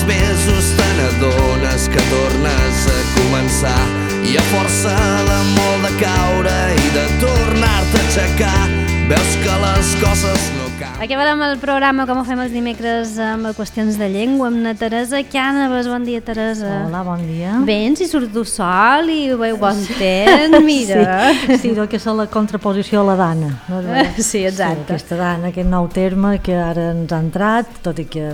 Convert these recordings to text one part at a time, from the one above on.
mesos te n'adones que tornes a començar i a força de molt de caure i de tornar-te a aixecar veus que les coses no canvien. Acabarem el programa com ho fem els dimecres amb qüestions de llengua amb la Teresa Cànovas. Bon dia, Teresa. Hola, bon dia. Ben, si surt du sol i ho veu bon temps, mira. Sí, que és la contraposició a la Dana. No? Sí, exacte. Sí, aquesta Dana, aquest nou terme que ara ens ha entrat, tot i que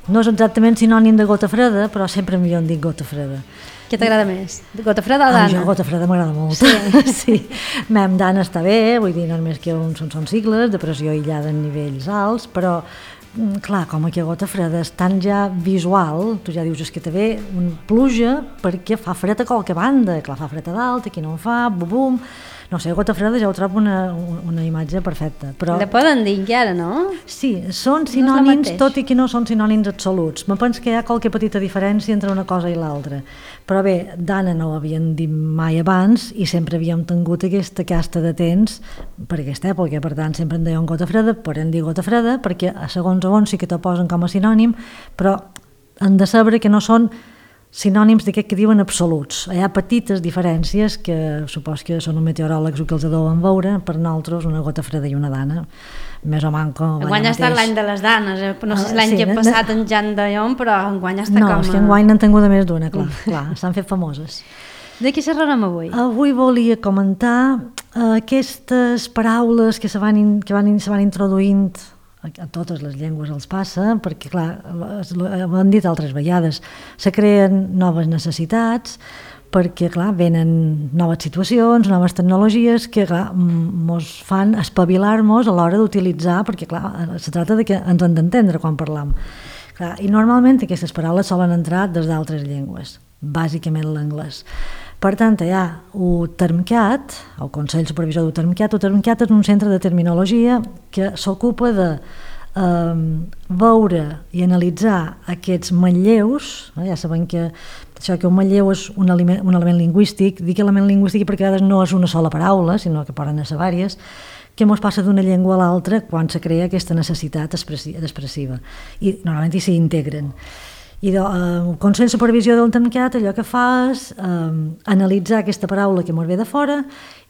no és exactament sinònim de gota freda, però sempre millor en dic gota freda. Què t'agrada més? Gota freda o Dana? Jo gota freda m'agrada molt. Sí. Mem Dana està bé, vull dir, no només que són sigles de pressió aïllada en nivells alts, però clar, com aquí a gota freda és tan ja visual, tu ja dius és que té bé pluja perquè fa fred a qualque banda, clar, fa fred a dalt, aquí no en fa, bum, no sé, gota freda ja ho trobo una imatge perfecta. Però la poden dir encara, no? Sí, són sinònims, tot i que no són sinònims absoluts. Me penso que hi ha qualque petita diferència entre una cosa i l'altra. Però bé, Dana no ho havien dit mai abans i sempre havíem tingut aquesta casta de temps per aquesta època, per tant sempre en deien gota freda, podem dir gota freda perquè a segons sí que t'ho posen com a sinònim, però han de saber que no són sinònims d'aquest que diuen absoluts. Hi ha petites diferències que supos que són els meteoròlegs que els deuen veure, per nosaltres una gota freda i una dana, més o manco. Enguany ha estat l'any de les danes, no sé si l'any que ha passat en Jan Dallon, però enguany està no, com... No, és que enguany n'han tingut més d'una, clar, s'han fet famoses. De què xerrarem avui? Avui volia comentar aquestes paraules que se van introduint a totes les llengües els passa, perquè clar, ho han dit altres vegades, se creen noves necessitats, perquè clar, venen noves situacions, noves tecnologies que clar, mos fan espavilar-nos a l'hora d'utilitzar, perquè clar, se tracta de que ens hem d'entendre quan parlam. Clar, i normalment aquestes paraules solen entrar des d'altres llengües, bàsicament l'anglès. Per tant, hi ha el Termcat, el Consell Supervisor del Termcat. El Termcat és un centre de terminologia que s'ocupa de veure i analitzar aquests manlleus. Ja sabem que això que un manlleu és un element lingüístic. Dic element lingüístic perquè a vegades no és una sola paraula, sinó que poden ser diverses, que ens passa d'una llengua a l'altra quan se crea aquesta necessitat expressiva. I normalment s'hi integren. I el Consell de Supervisió del Termcat allò que fa és analitzar aquesta paraula que ens ve de fora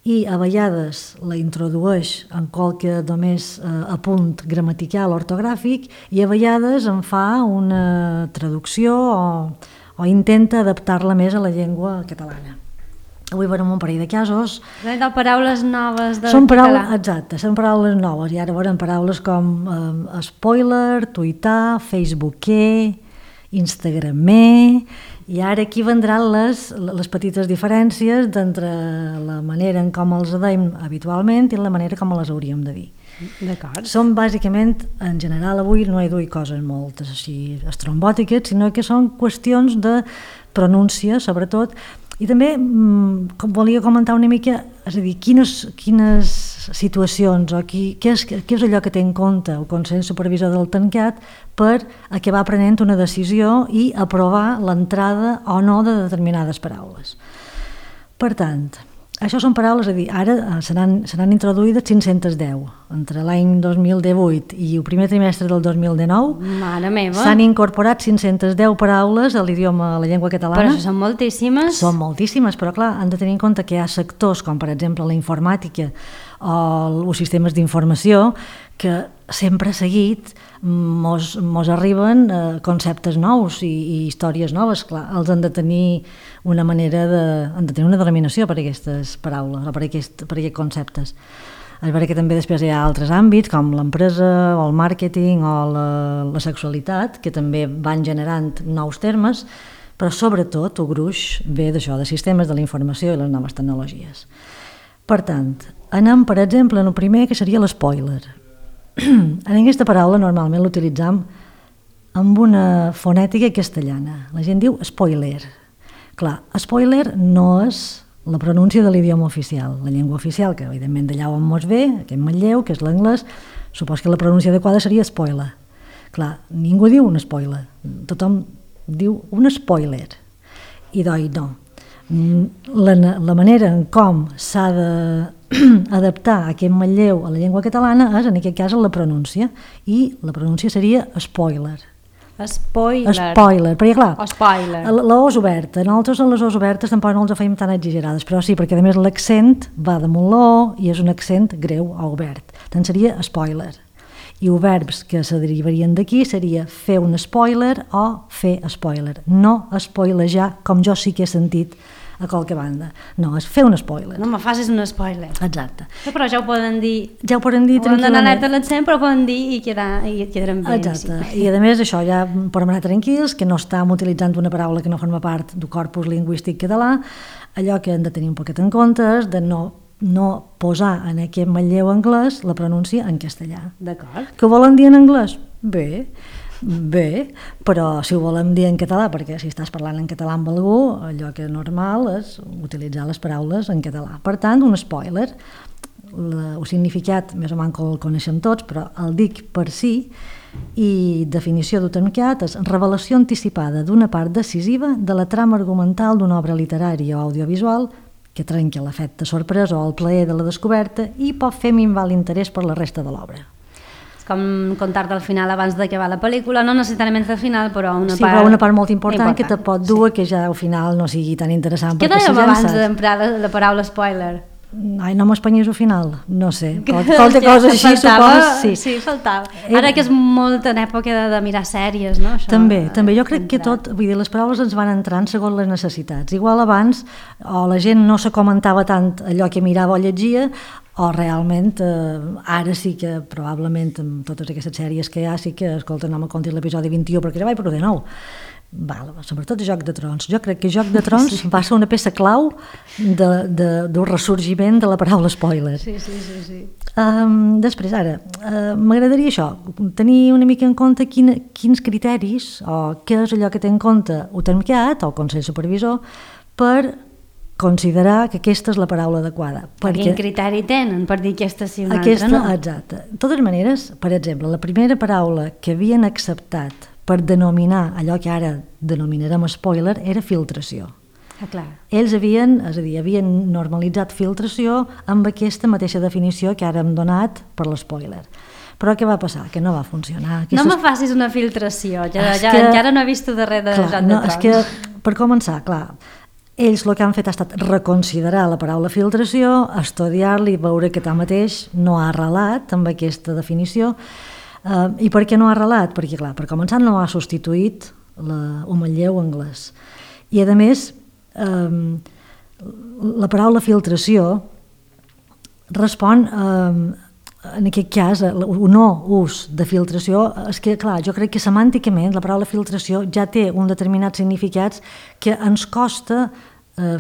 i a vegades la introdueix en qualque només apunt gramatical ortogràfic i a vegades en fa una traducció o intenta adaptar-la més a la llengua catalana. Avui veurem un parell de casos. Són paraules noves del català. Exacte, són paraules noves i ara veurem paraules com spoiler, tuitar, facebooker, instagramer, i ara aquí vendran les petites diferències d'entre la manera en com els deim habitualment i la manera com les hauríem de dir. D'acord. Són bàsicament, en general avui no he duit coses moltes així estrombòtiques, sinó que són qüestions de pronúncia sobretot, i també volia comentar una mica, és a dir, quines situacions o què és allò que té en compte el Consell Supervisor del Termcat per acabar prenent una decisió i aprovar l'entrada o no de determinades paraules. Per tant, això són paraules, és a dir, ara seran introduïdes 510. Entre l'any 2018 i el primer trimestre del 2019 Mare meva. S'han incorporat 510 paraules a l'idioma, a la llengua catalana. Però això són moltíssimes. Són moltíssimes, però clar, han de tenir en compte que hi ha sectors com per exemple la informàtica o els sistemes d'informació que sempre seguit mos arriben conceptes nous i històries noves. Clar, els han de tenir una manera han de tenir una denominació per aquestes paraules o per aquests conceptes. És veritat que també després hi ha altres àmbits com l'empresa o el màrqueting o la sexualitat que també van generant nous termes, però sobretot el gruix ve d'això, de sistemes de la informació i les noves tecnologies. Per tant, anem per exemple en el primer que seria l'espoiler. En aquesta paraula normalment l'utilitzam amb una fonètica castellana. La gent diu spoiler. Clar, spoiler no és la pronúncia de l'idioma oficial. La llengua oficial, que evidentment d'allà on mos ve, aquest manlleu, que és l'anglès, supos que la pronúncia adequada seria spoiler. Clar, ningú diu un spoiler. Tothom diu un spoiler. I doncs no. La manera en com s'ha d'adaptar aquest manlleu a la llengua catalana és, en aquest cas, la pronúncia. I la pronúncia seria spoiler. Spoiler, perquè clar, O spoiler. la O és oberta, nosaltres en les O's obertes tampoc no els fèiem tan exagerades, però sí, perquè a més l'accent va damunt la O i és un accent greu o obert, tant seria spoiler. I els verbs que se derivarien d'aquí seria fer un spoiler o fer spoiler, no spoilejar com jo sí que he sentit a qualque banda, no, és fer un spoiler. No me facis un spoiler. Exacte. Però ja ho poden dir. Ja ho poden dir Poden anar tranquil·lament. alerta a l'accent, però poden dir i quedaran bé. Exacte, i a més això ja podem anar tranquils, que no estem utilitzant una paraula que no forma part del corpus lingüístic català, allò que hem de tenir un poquet en compte és de no posar en aquest manlleu anglès la pronúncia en castellà. D'acord. Que ho volen dir en anglès? Bé, però si ho volem dir en català, perquè si estàs parlant en català amb algú, allò que és normal és utilitzar les paraules en català. Per tant, un spoiler, el significat més o menys que el coneixem tots, però el dic per si, i definició d'utencat és revelació anticipada d'una part decisiva de la trama argumental d'una obra literària o audiovisual que trenca l'efecte sorpresa o el plaer de la descoberta i pot fer minvar l'interès per la resta de l'obra. És com contar-te al final abans d'acabar la pel·lícula, no necessàriament al final, però una Sí, part... però una part molt important que te pot dur que ja al final no sigui tan interessant. Què perquè si dèiem ja en abans saps- d'emprar la paraula spoiler? Ai, no m'espanyis al final, no sé. Qualque cosa així, supos, sí, faltava. Ara que és molt en època de mirar sèries, no? Això, També, jo crec que tot, vull dir, les paraules ens van entrant segons les necessitats. Igual abans o la gent no se comentava tant allò que mirava o llegia, o realment ara sí que probablement amb totes aquestes sèries que hi ha sí que, escolta, no me contis l'episodi 21 perquè ja vaig per 19. Val, sobretot Joc de Trons. Jo crec que Joc de Trons va ser una peça clau del ressorgiment de la paraula spoiler. Sí. Després, ara, m'agradaria això, tenir una mica en compte quins criteris o què és allò que té en compte UTEMCAT o el Consell Supervisor per considerar que aquesta és la paraula adequada. Quin criteri tenen per dir aquesta sí una altra no? Exacte. De totes maneres, per exemple, la primera paraula que havien acceptat per denominar allò que ara denominarem spoiler era filtració. Clar. Ells havien normalitzat filtració amb aquesta mateixa definició que ara hem donat per l'espoiler. Però què va passar? Que no va funcionar. No me facis una filtració, encara no he vist darrere de Joc de Trons. És que, per començar, clar, ells el que han fet ha estat reconsiderar la paraula filtració, estudiar-la i veure que tanmateix no ha arrelat amb aquesta definició. I per què no ha arrelat? Perquè, clar, per començar no ha substituït un manlleu anglès. I, a més, la paraula filtració respon, en aquest cas, un no ús de filtració, és que, clar, jo crec que semànticament la paraula filtració ja té un determinat significats que ens costa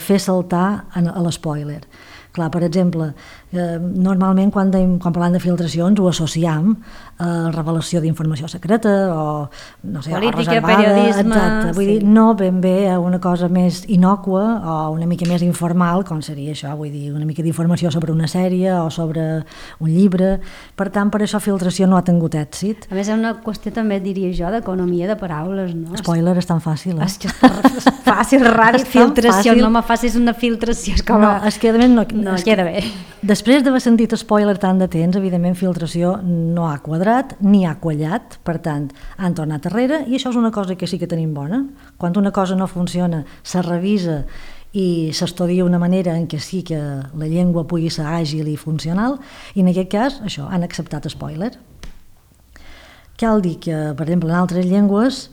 fer saltar a l'espoiler. Clar, per exemple, normalment quan parlem de filtracions ho associem a revelació d'informació secreta o, no sé, política, o reservada, periodisme... exacte. Vull dir, no ben bé a una cosa més innòcua o una mica més informal, com seria això, vull dir, una mica d'informació sobre una sèrie o sobre un llibre. Per tant, per això filtració no ha tingut èxit. A més, és una qüestió també, diria jo, d'economia de paraules, no? Spoiler és tan fàcil, És que és fàcil, ràdio, filtració, no me facis una filtració. És com no, és que a més no queda bé. Després d'haver sentit spoiler tant de temps, evidentment filtració no ha quadrat ni ha quallat, per tant, han tornat enrere i això és una cosa que sí que tenim bona. Quan una cosa no funciona, se revisa i s'estudia una manera en què sí que la llengua pugui ser àgil i funcional, i en aquest cas, això, han acceptat spoiler. Cal dir que, per exemple, en altres llengües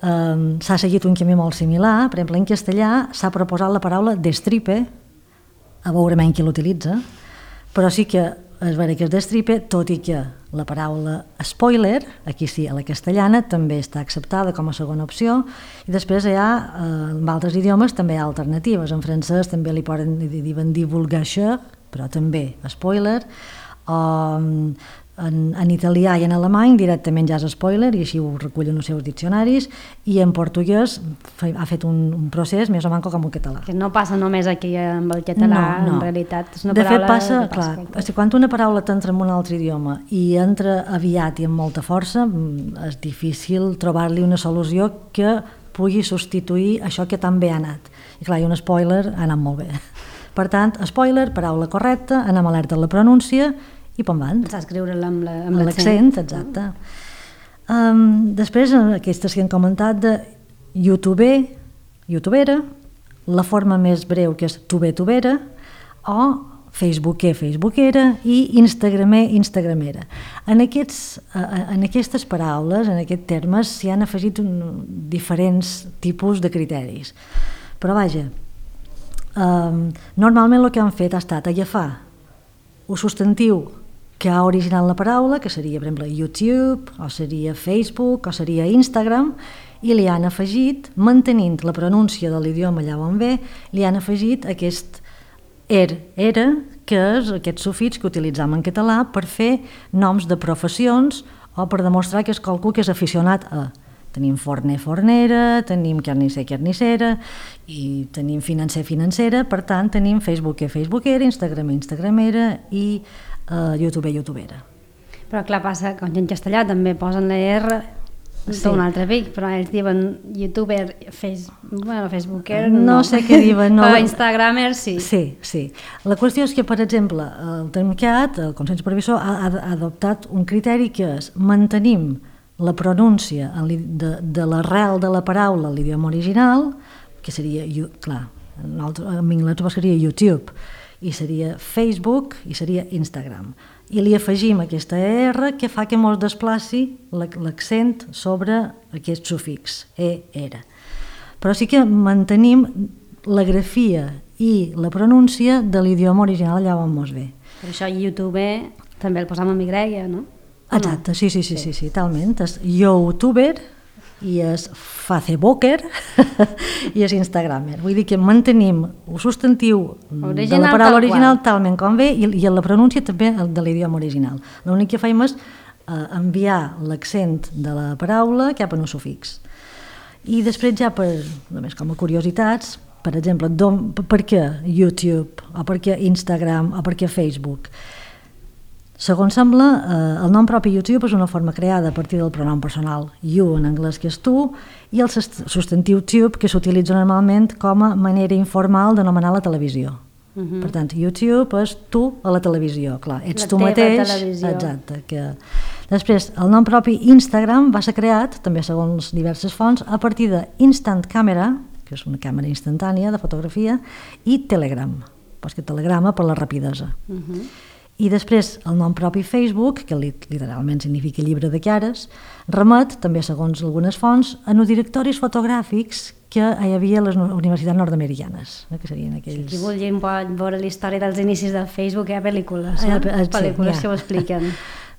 s'ha seguit un camí molt similar. Per exemple, en castellà s'ha proposat la paraula destripe, a veure menys qui l'utilitza, però sí que és vera que es destripe, tot i que la paraula spoiler, aquí sí, a la castellana, també està acceptada com a segona opció, i després hi ha, en altres idiomes, també hi ha alternatives. En francès també li poden dir divulgació, però també spoiler, en italià i en alemany directament ja és spoiler i així ho recullen els seus diccionaris, i en portuguès ha fet un procés més o menys com el català. Que no passa només aquí amb el català, no. En realitat és una de paraula... fet passa, clar, quan una paraula t'entra en un altre idioma i entra aviat i amb molta força, és difícil trobar-li una solució que pugui substituir això que tan bé ha anat. I clar, i un spoiler ha anat molt bé. Per tant, spoiler, paraula correcta, anem alerta a la pronúncia i pom van. S'ha escriure amb l'accent, exacte. Després, aquestes que hem comentat de youtubera, la forma més breu que és tubera, o facebookera i instagramera. En aquestes paraules, en aquests termes, s'hi han afegit diferents tipus de criteris. Però vaja, normalment el que han fet ha estat agafar un substantiu que ha originat la paraula, que seria, per exemple, YouTube, o seria Facebook, o seria Instagram, i li han afegit, mantenint la pronúncia de l'idioma allà on ve, li han afegit aquest era, que és aquest sufix que utilitzam en català per fer noms de professions o per demostrar que és qualcú que és aficionat a. Tenim forner, fornera, tenim carnisser, carnissera, i tenim financer, financera, per tant tenim facebookera, instagramera i youtubera. Però clar, passa que en castellà també posen la R un altre pic, però ells diuen youtuber, facebooker no sé què diuen, no. Però instagramer sí. Sí. La qüestió és que, per exemple, el Termcat, el Consell Supervisor, ha adoptat un criteri que és mantenim la pronúncia de l'arrel de la paraula a l'idioma original, que seria, clar, en anglès seria YouTube, i seria Facebook i seria Instagram. I li afegim aquesta R que fa que mos desplaci l'accent sobre aquest sufix, era. Però sí que mantenim la grafia i la pronúncia de l'idioma original allà on mos ve. Per això YouTube també el posam amb Y, no? Exacte, sí, talment. És youtuber i és facebooker i és instagramer. Vull dir que mantenim el substantiu de la paraula original talment com ve i la pronúncia també de l'idioma original. L'únic que fem és enviar l'accent de la paraula cap a un sufix. I després ja, només com a curiositats, per exemple, per què YouTube, o per què Instagram, o per què Facebook? Segons sembla, el nom propi YouTube és una forma creada a partir del pronom personal you, en anglès, que és tu, i el substantiu tube, que s'utilitza normalment com a manera informal d'anomenar la televisió. Per tant, YouTube és tu a la televisió, clar, ets tu mateix. Exacte. Després, el nom propi Instagram va ser creat, també segons diverses fonts, a partir de Instant Camera, que és una càmera instantània de fotografia, i Telegram, que telegrama per la rapidesa. I després el nom propi Facebook, que literalment significa llibre de cares, remet, també segons algunes fonts, a uns directoris fotogràfics que hi havia a les universitats nord-americanes, que serien aquells... Si vulguin veure la història dels inicis del Facebook, hi ha pel·lícules, pel·lícules que ho expliquen.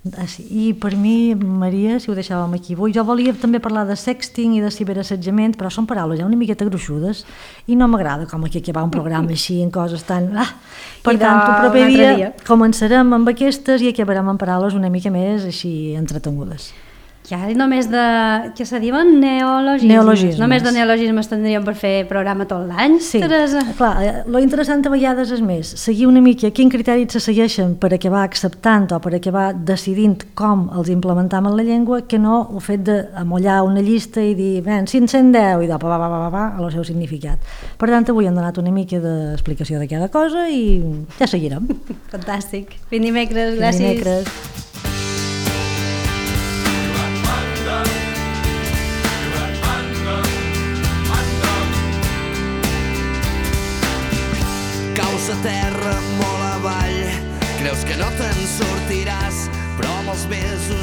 I per mi, Maria, si ho deixàvem aquí avui, jo volia també parlar de sexting i de ciberassetjament, però són paraules ja una miqueta gruixudes i no m'agrada com aquí acabar un programa així en coses tan... Per tant, el proper dia començarem amb aquestes i acabarem amb paraules una mica més així entretengudes. Ja només de... què se diuen? Neologismes. Només de neologismes tindríem per fer programa tot l'any, Teresa? Sí, clar, lo interessant a vegades és més seguir una mica quin criteris se segueixen per acabar acceptant o per acabar decidint com els implementam en la llengua, que no el fet d'amollar una llista i dir, 510 i el seu significat. Per tant, avui hem donat una mica d'explicació de cada cosa i ja seguirem. Fantàstic. Fins dimecres, gràcies. Fins dimecres. A terra molt avall, creus que no te'n sortiràs, però amb els mesos